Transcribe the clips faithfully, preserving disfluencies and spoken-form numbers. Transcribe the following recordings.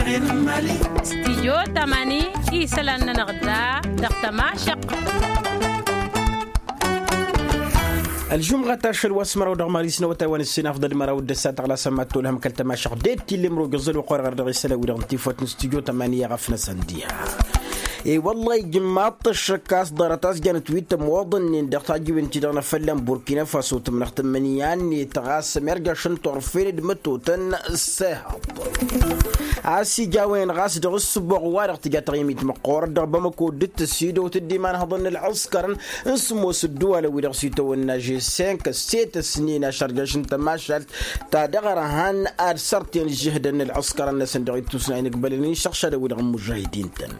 Stijyo tamani isălan-nănăɣ da dăɣ-tămašăɣt. Ălžumɣa tašăl wa s-măraw dăɣ-mari s-năwătay wa n-ǝssin afḍăl măraw d-ăssa taɣla s-ămma t-tolhăm kăl-tămašăɣt d-e t-illa imrog ăẓẓăl wa qor ɣăr dăɣ-isălan wi-dăɣ n-tifăt n-stijyo tamani i-aɣăf-năsăn diha. E-wălla-i ijmaḍ-t ăššăk a-s ḍarăt a-s janăt wi tămoḍănnen dăɣ-tajiwen-ti-dăɣ n-afălla n-burkina faso tǝmnăɣ tǝmmǝnǝya-net ɣas ămirjaš n-turfen d-mătotăn s-ehăḍ. A-s ija a-wen ɣas dăɣ-ǝssǝboɣ wa-dăɣ tǝja taɣimit măqqoorăt dăɣ-bamăko dd-tăsidăwt dd-imanhăḍăn n-ălɣǝskărăn n-sǝmmos ădduwalăn wi-dăɣ s-itawănna žessenk s-e-tăsnen ašărjăš n-tămašalt ta dăɣ-ărhan ad-sărten ǝžžǝhdăn n-ălɣǝskărăn-năsăn dăɣ-ittusna inǝgbălăn n-išăɣšadăn wi-dăɣ n-imužahidin-tăn.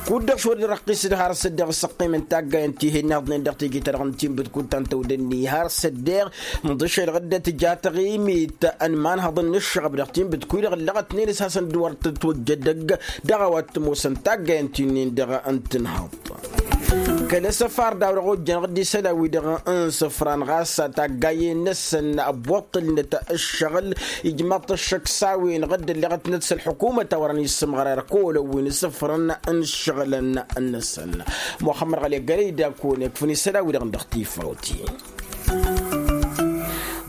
Kud-dăɣ šwăr-dd răqqis-dd har s-ăddeɣ ǝssăqqim n-taggayen ti hin-ihaḍnen dăɣ-teje-ta-dăɣ n-tinbǝtkut ta n-tăwdănni har s-ăddeɣ n-ḍǝšel ɣǝddăt tǝja taɣimit n-imanhăḍăn n-ǝššăɣăb dăɣ-tinbǝtkut-dăɣ ǝllăɣătnen s-hasăn-dd wăr tătwăjja edăgg dăɣ-a-wa t-ămoosăn taggayen ti-nin-dăɣ n-tǝnhăḍt. Kăl-asăfar d-a-wa dăɣ-ojjănăɣ-dd isălan-wi-dăɣ n-isǝfran ɣas taggayen-năsăn ăbbuṭṭǝlnăt ǝššăɣǝl. Ijmaḍ-t ăššăk s-a-wen ɣǝdd ălleɣătnăt s-ălḥukumăt a wărăn issǝmɣărar kăwălăn wi n-isǝfrăn n-ǝššăɣǝlăn-năsăn. Muxămmăd ɣăle gărăy d-akăwăn-ikfǝn isălan-wi-dăɣ n-dăɣ tifawt-i.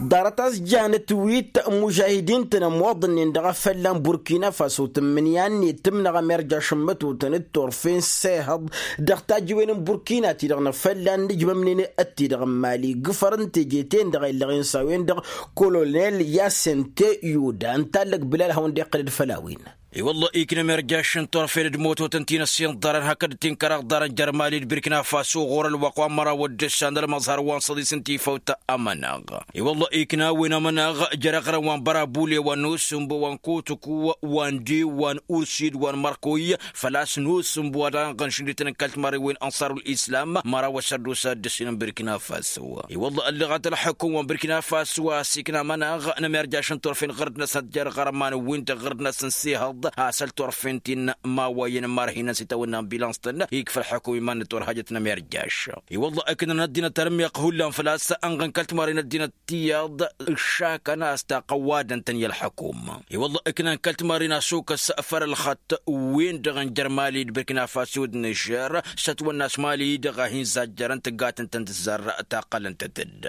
Ḍarăt a-s janăt wi t-mužahidin-tăn ămoḍănnen dăɣ-afălla n-burkina faso tǝmmǝnǝya-net tǝmnăɣ ămerjaš n-mătotăn d-turfen s-ehăḍ dăɣ-tajiwen n-burkina ti-dăɣ n-afălla n-ǝjmămnen ătti-dăɣ n-mali gǝfăr n-teje-ten-dăɣ a illăɣen s-a-wen-dăɣ kolonel yasente yuda ǝnta allăg bǝlal hawăn-dd-iqqǝlăd făll-a-wen. I-wălla-hi ikna ămerjaš n-turfen d-mătotăn ti n-ăssiinḍarăn hakd tinkăraḍ ḍarăn jer-mali d-birkina faso ɣur-ălwăqq wa n-măraw d-ǝssan ălmăẓhar wa n-săḍis n-tifawt. Amănaɣ i-wălla-hi ikna a-wen amănaɣ jer-aɣrăn wa n-bărabule wa n-osǝmbo wa n-kotoku wa n-dew wa n-ursid wa n-mărkoy făl-a-s n-osǝmbo wa dăɣ-anɣăn šundităn n-kăl-timarren wi n-ănṣarul islam măraw ăssărdusa d-ǝssin n-birkina faso. I-wălla ălleɣăt ălḥăkum wa n-birkina faso a-s ikna amănaɣ n-ămerjaš n-turfen ɣǝrd-năsăn jer-ɣărman-win-dăɣ ɣǝrd-năsăn s-ehăḍ a-s ălturfen ti n-imawayăn n-imarhinăn s-itawănna n-bilăns-tăn ikfa ălḥăkum iman-năt wăr hajăt n-ămerjaš. I-wălla ǝknăn ăddinăt ărmiɣ hullan făl-a-s ănɣăn kăl-timarren ăddinăt tiyyăḍ ǝššakăn a-s taqăwwadăn-tăn i-ălḥăkum. I-wălla ǝknan kăl-timarren asukăs făll-ălxăṭṭ-wen-dăɣ n-jer-mali d-birkina faso d-nižer s-ătwănna a-s mali-dăɣ a hin-zajjărăn tǝggatăn-tăn tǝzzar. Taqqălăn-tăt-dd.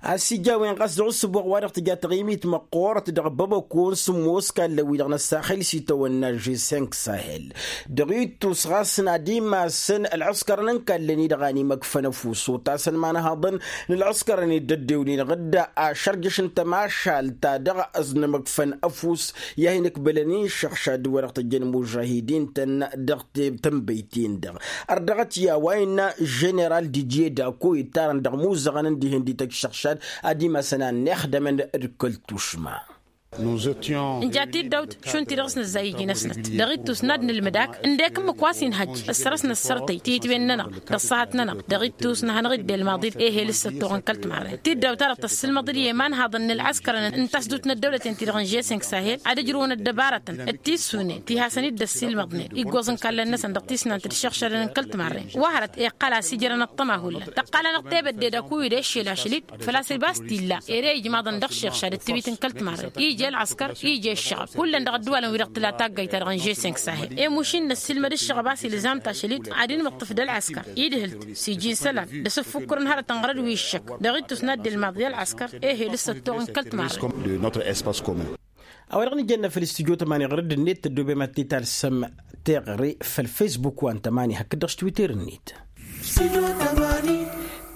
A-s ija a-wen ɣas dăɣ-ǝssǝboɣ wa dăɣ-tǝja taɣimit măqqoorăt dăɣ-bamăko n-sǝmmos kallăn-wi-dăɣ n-ăssaxil s-itawănna žesenk sahel dăɣ-ittus ɣas n-ad-imasăn ălɣǝskărăn n-kallăn-i-dăɣ a n-imăkfăn ăfuss otasăn imanhaḍăn n-ălɣǝskărăn-dd ăddewnen ɣǝdda ašărjăš n-tămašalt ta dăɣ-ăznămăkfăn ăfuss i-ad-hin-ǝkbǝlăn inšăɣšad wa dăɣ-tăjjăn mužahidin-tăn dăɣ-tănbăyt-in-dăɣ. Ărdăɣăt i-a-wa innă ženeral didye dako ittarăn dăɣ-imuzăɣăn n-dihen dităj šăɣšad ad-imasăn a ănnixdămăn d-kăl-tušma. Nja tiddawt šund ti-dăɣ s-nǝzzay iji-năsnăt dăɣ-ittus n-ad-nǝlmǝd ak ǝndek ǝmmǝk wa s-inhăjj ăssărăsnăt sărtăy titwen-nănăɣ d-ăṣṣahăt-nănăɣ dăɣ-ittus n-ad-hanăɣ-dd-ilmaḍ-dd ehel s-ăttoɣ n-kăl-timarren tiddawt-ta-dăɣ tăssilmăḍ-dd i-imanhaḍăn n-ălɣăskărăn n-tasdut n-ăddăwlăten-ti-dăɣ n-žeseng sahel ad-ǝjrǝwăn ăddăbarătăn d-tissunen ti hasăn-dd-ăssilmăḍnen iggoẓ n-kallăn-năsăn dăɣ-tisnant d-išăɣšadăn n-kăl-timarren wa hărăt iqqăl a-s ijrăn ăṭṭăma hullan tăqqal-anăɣ tebădde d-akuyǝd eššel ašăl-dd făl-a-s ăbas-t-illa ere ijmaḍăn dăɣ-iššăɣšad d-tiwit n-kăl-timarren ija ălɣăskăr ija ăššăɣăb hullan dăɣ-ăddǝwalăn wi-dăɣ tǝla taggayt-ta-dăɣ n-žeseng sahel i-mušin năssiilmăd ǝššăɣăb a-s ilzam tašăl-dd ad-inmǝṭṭǝf d-ălɣăskăr idhǝl-t s-iji n-isălan d-asǝffukkǝr n-hărătăn ɣărăd wi ǝššăk dăɣ-ittus n-ad-dd-ilmaḍ i-ălɣăskăr ehel s-ăttoɣ n-kăl-timarren. A-wa-dăɣ nǝjănna făll-istudyo tămani ɣărăd-net tăddobem ad-t-talsăm teɣre făll-fesbuk wa n-tămani hakd-dăɣ s-twitter-net.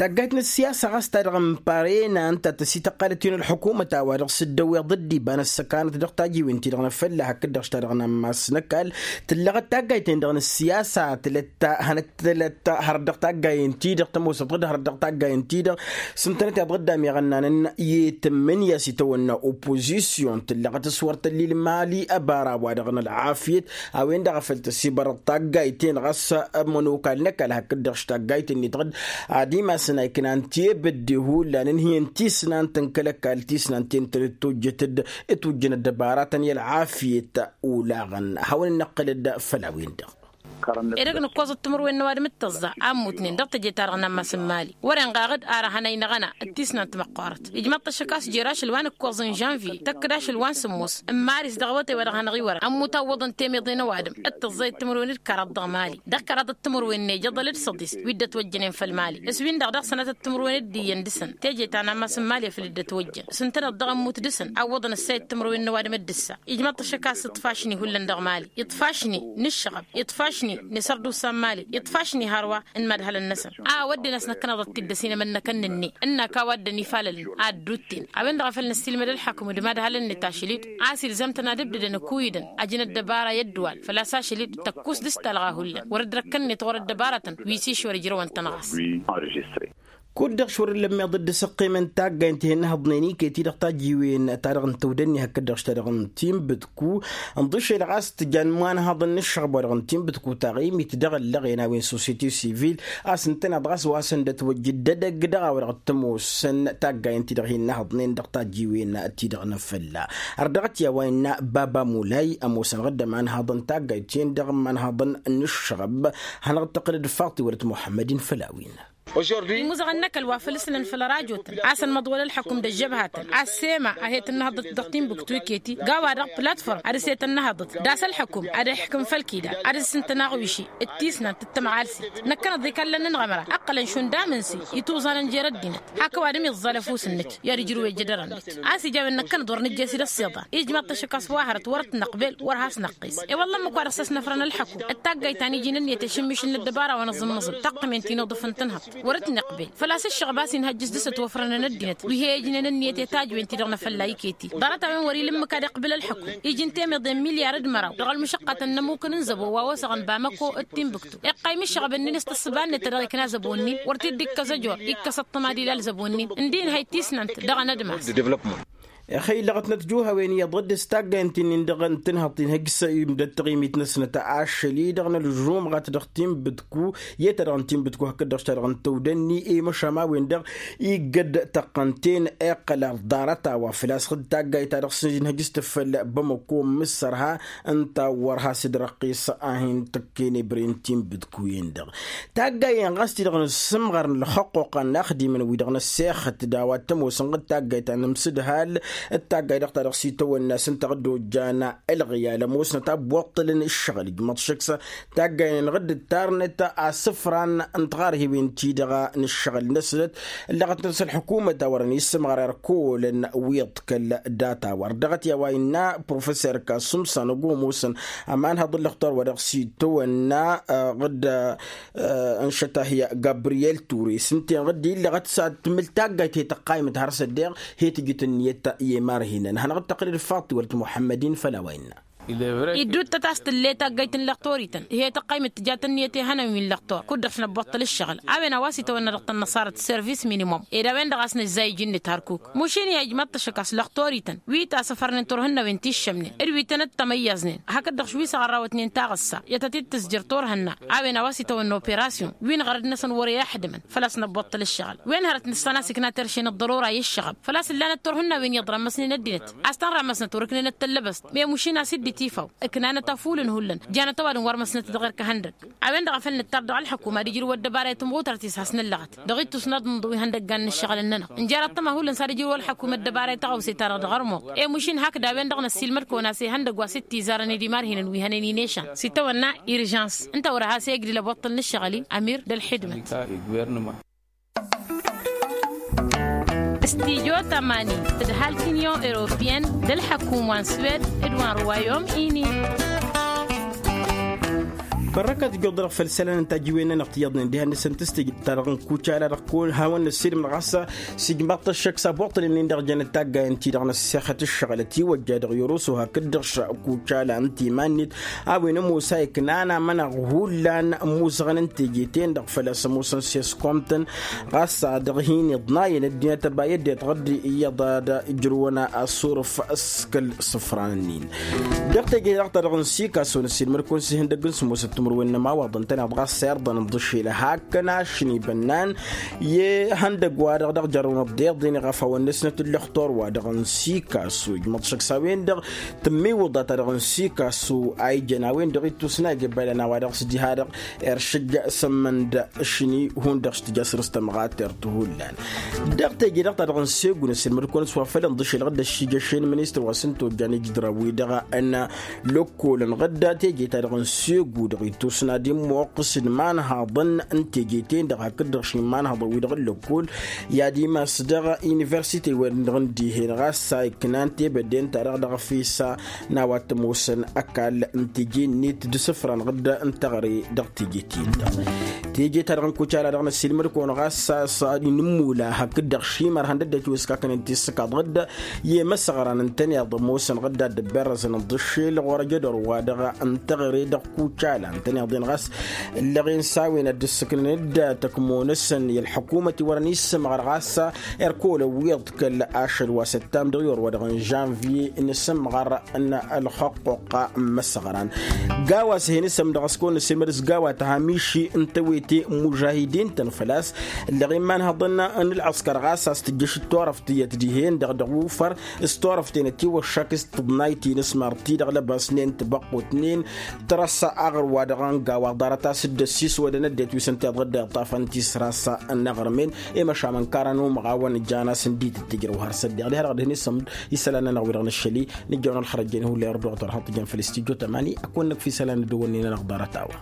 Taggayt n-ăssiyasa ɣas ta dăɣ-n parena ǝnta tăsităqqalăt-in ălḥukumăt a-wa dăɣ-s dd-ăwweḍ dd-iba n-ăssăkanăt dăɣ-tajiwen-ti-dăɣ n-afălla hakd-dăɣ s-ta dăɣ-n ammas n-ăkall tǝllăɣăt taggayt-en-dăɣ n-ăssiyasa tǝlăt-ta hănăt tǝlăt-ta hărăt dăɣ-taggayen-ti-dăɣ tămoosăt ɣǝd hărăt dăɣ-taggayen-ti-dăɣ s-ǝntănăt i-ad-ɣǝddam iɣănnanăn i-tǝmmǝnǝya s-itawănna opozisyon tǝllăɣăt s-wăr tăllil mali ăbara-wa-dăɣ n-ălɣafyăt a-wen-dăɣ a făl tăsibărăḍ taggayt-en ɣas ămănokal n-ăkall hakd-dăɣ š-taggayt-net ɣǝd ad-imasăn a iknan tebădde hullan ǝnhǝyăn tisnant n-kăl-ăkall tisnant-en tăl-dd-tojjăt-dd ǝtwǝjjăn ăddăbaratăn i-ălɣafyăt. Olaɣăn hawăn-dd-năqqǝlăd făll-a-wen-dăɣ. Edăgg n-ǝkkoẓăt timǝrwen n-ăwadǝm d-tǝẓẓa a ǝmmutnen dăɣ-teje-ta-dăɣ n-ammas n-imali. Wăren ɣaɣ-dd ara hanăynăɣ-ăna d-tisnant măqqoorăt ijmaḍ-t ăššăk a-s jer-ašăl wa n-ǝkkoẓ n-žănvye tăkk-dd ašăl wa n-sǝmmos n-maris dăɣ-awătay wa dăɣ-hanăɣ-iwărăn ămmut a ǝwwăḍăn temăḍe n-ăwadǝm d-tǝẓẓa i-timǝrwen d-kăraḍ dăɣ-mali. Dăɣ-kăraḍăt timǝrwen n-ejăḍăl d-săḍis wi dd-ătwăjjănen făll-mali s-win-dăɣ dăɣ-sănatăt timǝrwen d-iyyăn dăɣ-săn teje ta n-ammas n-mali afăl dd-ătwăjjăn s-ǝntăneḍ dăɣ-ămmut dăɣ-săn a ǝwwăḍăn ăssayăt timǝrwen n-ăwadǝm d-ǝssa. Ijmăḍ-t ăššăk a-s iṭṭfašni hullan dăɣ-mali iṭṭfašni n-ǝššăɣăb iṭṭfašni n-isărdusa n-mali iṭṭfašni hărwa n-imadhălăn-năsăn. A ăwădden a-s năkkăneḍăt-t-dd ăsinămănnăkăn nǝnne ǝnn'-ak a-wa dd-ănifalălăn ad-dd-utten a-wen-dăɣ a făl năssiilmăd ălḥăkum d-imadhălăn-net ašăl-dd a-s ilzam-tăn ad-ǝbdǝdăn ǝkuyǝdăn ajăn ăddăbara i-ăddǝwal făl-a-s ašăl-dd tăkkus dăɣ-s talɣa hullan wăr-dd răkkăn-net ɣur-ăddăbarătăn wi s-išwăr ǝjrăwăn-tăn ɣas. Kud-dăɣ šurǝllăm meḍ dd-săqqemăn taggayăn ti-hen n-ehăḍnen iket-i dăɣ-tajjiwen ta dăɣ-n tăwdănni hakd-dăɣ š-ta dăɣ-n tinbǝtku. Nḍǝšel ɣas tǝjjan imanhaḍăn n-ǝššăɣb wa dăɣ-n tinbǝtku taɣimit dăɣ-ăllăɣen a-wen societe sivil a-s ǝntăneḍ ɣas wa săn dd-ătwăjjǝd d-edăgg dăɣ-a-wa dăɣ-t-ămoosăn taggayăn ti-dăɣ hin-nehăḍnen dăɣ-tajjiwen ti-dăɣ n-afălla. Ărdăɣăt i-a-wa innă baba mulay ămoosăn ɣǝddăm anhaḍăn taggayt-en dăɣ-imanhaḍăn n-ǝššăɣb. Hanăɣ-dd-tăqqǝlăd faḍt iwălăt muḥămmăd-in făll-a-wen. Imuzăɣăn n-ăkall wa făl ǝslăn făll-ărajotăn a-s ănmăḍwăl ălḥăkum d-ăžžăbhatăn a-s sema a he-tănnăhăḍăt dăɣ-tinbǝktu iket-i gawa-dăɣ platform ad-dăɣ-s he-tănnăhăḍăt d-a-s ălḥăkum ad-ixkǝm făll-kida ad-dd-sǝntăn aɣwiši d-tisnant d-tămɣalset. Năkkăneḍ ikallan-nănăɣ ămăra ǝqqălăn šund amǝnse ituẓanăn jer-ăddinăt hak ăwadǝm iẓẓal ăfuss-nǝk i-ad-ǝjrǝw i-ejădărăn-net. A-s ija a-wen năkkăneḍ wăr nǝjjes-dd ăssiḍa ijmaḍ-t ăššăk a-s wa hărăt wăr-t năqbel wăr has-năqqes. I-wălla ǝmmǝk wa dăɣ-s ăsnăfrăn ălḥăkum d-taggayt ta n-iji n-ǝnniyăt i-ašǝmmišǝl n-ăddăbara wa n-aẓǝmmǝẓǝl taqqǝmen ti n-uḍǝf n-tǝnhăḍt wăr-t nǝqbel. Făl-a-s ǝššăɣăb a-s inhăjjǝs dăɣ-s ătwăfrănăn ăddinăt wi he-ijnen ǝnniyăt i-tajwen-ti-dăɣ n-afălla iket-i ḍarăt-a-wen wăr-ila ǝmmǝk ad-iqbǝl ălḥăkum. Iji n-temăḍe n-milyar d-măraw dăɣ-ălmǝšăqqătăn n-ămmuk n-inzăbo wa osăɣăn bamăko d-tinbǝktu iqqăym ǝššăɣăb-ǝnnin s-tǝssǝba-net ta dăɣ-ikna zăbo-nin wăr t-dd-ikkăs ăjor. Ikkăs ăṭṭămad ila ălzăbo-nin ǝndin hăy tisnant dăɣ-anădmas. Ixăy ǝllăɣăt n-ătjuh a-wen iyyăḍ dd-s taggayăn ti-nin-dăɣ n-tǝnhăḍt inhăjj s-imdăt taɣimit-năsnăt ašăl-i-dăɣ n-ălžumɣat dăɣ-tinbǝtku i-ta dăɣ-n tinbǝtku hakd-dăɣ ta dăɣ-n tăwdănni i-măšan a-wen-dăɣ iggăd tăqqăn-ten. Iqqăl ăḍarăt a-wa făl-a-s dd-taggayt ta dăɣ-s inhăjj s-tǝffăl bămăko n-mǝssărha ǝnta wăr has-dd-răqqis a hin-tǝkken ebre n-tinbǝtku-en-dăɣ. Taggayen ɣas ti-dăɣ n-asǝmɣar n-ǝlxăqquqa n-inaxdimăn-wi-dăɣ n-ăssexăt d-a-wa t-ămoosăn d-taggayt ta n-amsǝdhal d-taggayt dăɣ-ta dăɣ-s itawănna s-ǝnta a dd-ojjan ǝlɣǝyal ămoosnăt a ăbbuṭṭǝlăn ǝššăɣǝl ijmăḍ šăksa. Taggayen-năɣ dd-ǝttarnăt asǝfran n-tiɣarhiwen-ti-dăɣ n-ǝššăɣǝl-năsnăt ǝllăɣăt-năt s-ălḥukumăt a wărăn issǝmɣăr erk ăwolăn wi iḍkăl data-wa ărdăɣăt i-a-wa innă professor kasumsan ăgg-omusăn ămanhăḍ n-lăxtor wa dăɣ-s itawănna ɣǝd n-šătahya gabriyel ture s-ǝnta-en ɣǝd illăɣăt s-ad-tǝmǝl taggayt he-tăqqaymăt har s-ăddeɣ he-tǝjǝt ǝnniyăt i-imarhinăn hanăɣ-dd-tăqqǝlăd faḍt tiwălăt muḥămmăd-in făll-a-wa innă. Iddut-tăt a-s tǝllet taggayt n-lăxtor-ităn he-tăqqaymăt tǝjat ǝnniyăt ihănan wi n-lăxtor kud-dăɣ-s năbbuṭṭăl ǝššăɣǝl a-wen a-wa s-itawănna dăɣ-tăn-năṣarăt service minimum ed a-wen-dăɣ a-s nǝzzay iji-net hărkuk. Mušin i-ijmaḍ-t ăššăk a-s lăxtor-ităn wi tasăfărnen turhǝnnawen ti ǝššămnen d-wi tăn-ăttămăyyăẓnen hakd-dăɣ š-wi s-aɣărrawătnen taɣǝssa i-ad-tăt-dd tǝzjăr turhǝnna a-wen a-wa s-itawănna operasyon wi n-iɣărăd-năsăn wăr-e-ăḥdǝmăn. Făl-a-s năbbuṭṭăl ǝššăɣǝl wen hărăt nǝssan a-s ǝkna terše n-ăḍḍărora i-ǝššăɣăb făl-a-s ǝllanăt turhǝnnawen iyyăḍ rămmăsnen ăddinăt a-s tăn-rămmăsnăt wăr-ǝknenăt tăllăbăst. Memušin a-s dd-itifăw ǝknanăt afulǝn hullan janăt ăwadǝm wăr măsnăt dăɣ-erk ahăndăg. A-wen-dăɣ a făl nǝttar dăɣ-ălḥăkum ad-ijrǝw ăddăbara i-tǝmɣutărt-is has-năllăɣăt dăɣ-ittus n-aḍǝnḍǝw ihăndăggan n-ǝššăɣǝl-nănăɣ. Njar ăṭṭăma hullan s-ad-ijrǝw ălḥăkum ăddăbara i-taɣăwse-ta-dăɣ dăɣ-ărmuḍ. Emušin hakd a-wen-dăɣ năssiilmăd-kăwăn a-s ihăndăgg wa s-dd-tizarăn i-dimarhinăn wi hănen inešan s-itawănna irjans. Ǝnta wăr-has-egdǝl ăbuṭṭǝl n-ǝššăɣǝl-i amir d-ălḥidmăt. Stijo tămani tǝdhal tinyon europiyăn d-ălḥăkum wa n-swed d-wa n-ruwayom-ini. Bărrăkăt ǝjjuḍ-dăɣ făll-isălan n-tajǝwen-nănăɣ tiyyăḍnen diha-năsăn tǝstijǝd-ta-dăɣ n-kucala dăɣ-kăwăn hawăn năssiilmăd ɣas s-ijmaḍ-t ăššăk s-abuṭṭǝl-nin-dăɣ jănăt taggayen-ti-dăɣ n-ăssexăt ǝššăɣǝl ătiwăjja dăɣ-i oroso hakd-dăɣ kucala n-timan-net. A-wen ămoos a iknan amănăɣ hullan ămuzăɣăn n-teje-ten-dăɣ făl-a-s ămoosăn s-eskomtăn ɣas a dăɣ-hin-iḍnayăn ăddinăt ăba i-ăddinăt ɣǝd iyyăḍ ad-ǝjrǝwăn asurǝf s-kăl-isǝfran-nin. Dăɣ-teje-ta-dăɣ n-sikaso n-ăssiilmăd-kăwăn s-ihăndăgg n-sămoosăt. Mărwen n-ămawaḍ ǝntăneḍ ɣas s-irḍăn n-iḍǝššel hakăn ašni bănnan i-ihăndăg-wa-dăɣ dăɣ-jărrăwnăt d-iḍen iɣăfawăn n-asnăt ǝllăxtor-wa-dăɣ n-sikasu ijmăḍ šăkk s-a-wen-dăɣ tǝmmiwǝḍa-ta-dăɣ n-sikasu a ijăn a-wen-dăɣ ittusna ija ibbălăn a-wa dăɣ-s diha-dăɣ iršǝjja s-ămmănd ašni hundăɣ s-tǝja săr-s tămɣatert hullan. Dăɣ-teje-dăɣ ta-dăɣ n-segu n-asǝlmăd-kăwăn s-wa făll-inḍǝšel ɣǝdda ǝššǝjja šen ministăr wa s-ǝntojjan ijǝdrăw-wi-dăɣ n-lăkkolăn ɣǝdda teje-ta-dăɣ n-segu-dăɣ ittusna d-immoqqǝs d-imanhaḍăn n-teje-ten-dăɣ hakd-dăɣ šimmanhaḍăn-wi-dăɣ n-lăkkol i-ad-imas dăɣ-universite-wen-dăɣ n-dihen ɣas a ǝknan tebădden-ta-dăɣ dăɣ-efesa n-a-wa t-ămoosăn ăkall n-teje-net d-isǝfran ɣǝdda n-teɣăre dăɣ-teje-ten-dăɣ. Teje-ta-dăɣ n-kucala dăɣ-năsilmăd-kăwăn ɣas a-s inǝmmula hakd-dăɣ šimărhăn d-ăddinăt wi ǝskakănen tissǝkaḍ ɣǝdda i-imăsăɣran ǝntăneḍ ămoosăn ɣǝdda dd-ăbberrăzăn ǝḍǝššel ɣur-ăjădor-wa-dăɣ n-teɣăre dăɣ-kucala ǝntăneḍ-en ɣas ǝllăɣen s-a-wen ad-dd-ǝssǝknăn d-tăkmo-năsăn i-ălḥăkumăt iwărăn issǝmɣăr ɣas erk olăwwiḍ kăl-ašăl wa s-ăttam dăɣ-iwăr wa dăɣ-n žănviye n-asǝmɣăr n-ălxăqquqqa n-imăsăɣran. Gawa s-hen-isăm dăɣ-s kăwăn-năsǝlmăd s-gawa tăhamiši n-tewete n-imužahidin-tăn făl-a-s ǝllăɣen imanhăḍăn n-ălɣăskăr ɣas a-s tǝjjăš d-turăft tiyyăt dihen-dăɣ dăɣ-ufăr s-turăft-en ătiwăššak s-tǝḍnay tinǝsmar-ti-dăɣ lăbasnen tibăqqutnen. Tărăssa aɣrǝw-wa-dăɣ n-gawa ḍarăt a-s dd-ăssiswădăn ăddinăt wi s-ǝnta iḍădda iṭṭafăn tisrasa n-aɣrǝmen i-măšan n-karan umăɣawăn ǝjjan-as n-dd-tǝjrăw har s-ăddiɣ diha-dăɣ dăɣ-hin-isăm isălan-nănăɣ wi-dăɣ nǝššăli nǝjjăwăn ălxărăjjăn hullan irduɣ tărhăḍ tǝjjăn făll-istijjo tămani ăkk wănnăk fi isălan n-dd-wănnin-nănăɣ ḍarăt-a-wa.